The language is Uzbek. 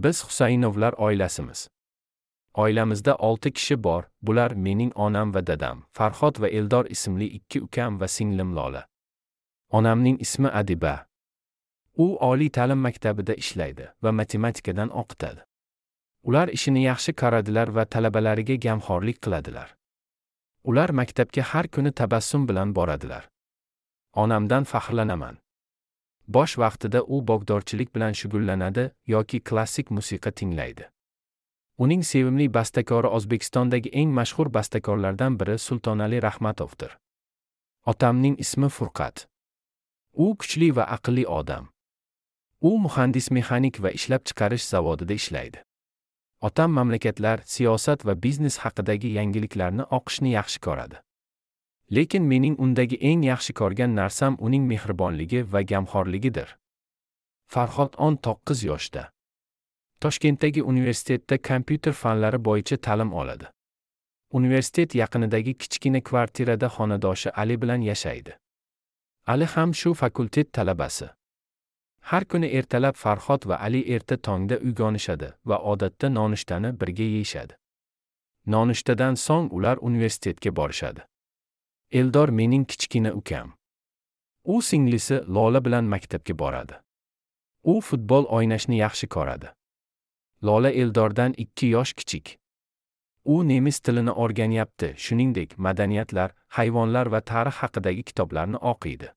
Biz Husaynovlar oilasimiz. Oilamizda 6 kishi bor, bular mening onam va dadam, Farhod va Eldor ismli 2 ukam va singlim Lola. Onamning ismi Adiba. U oliy ta'lim maktabida ishlaydi va matematikadan o'qitadi. Ular ishini yaxshi ko'radilar va talabalariga gamxo'rlik qiladilar. Ular maktabga har kuni tabassum bilan boradilar. Onamdan faxrlanaman. Bosh vaqtida u bog'dorchilik bilan shug'ullanadi yoki klassik musiqa tinglaydi. Uning sevimli bastakori O'zbekistondagi eng mashhur bastakorlardan biri Sultonali Rahmatovdir. Otamning ismi Furqat. U kuchli va aqlli odam. U muhandis-mexanik va ishlab chiqarish zavodida ishlaydi. Otam mamlakatlar, siyosat va biznes haqidagi yangiliklarni o'qishni yaxshi ko'radi. Lekin mening undagi eng yaxshi ko'rgan narsam uning mehribonligi va gamxo'rligidir. Farhod 19 yoshda. Toshkentdagi universitetda kompyuter fanlari bo'yicha ta'lim oladi. Universitet yaqinidagi kichkina kvartirada xonadoshi Ali bilan yashaydi. Ali ham shu fakultet talabasi. Har kuni ertalab Farhod va Ali erta tongda uyg'onishadi va odatda nonushtani birga yeyishadi. Nonushtadan so'ng ular universitetga borishadi. Eldor mening kichkina ukam. U singlisi Lola bilan maktabga boradi. U futbol o'ynashni yaxshi ko'radi. Lola Eldordan 2 yosh kichik. U nemis tilini o'rganyapti, shuningdek, madaniyatlar, hayvonlar va tarix haqidagi kitoblarni o'qiydi.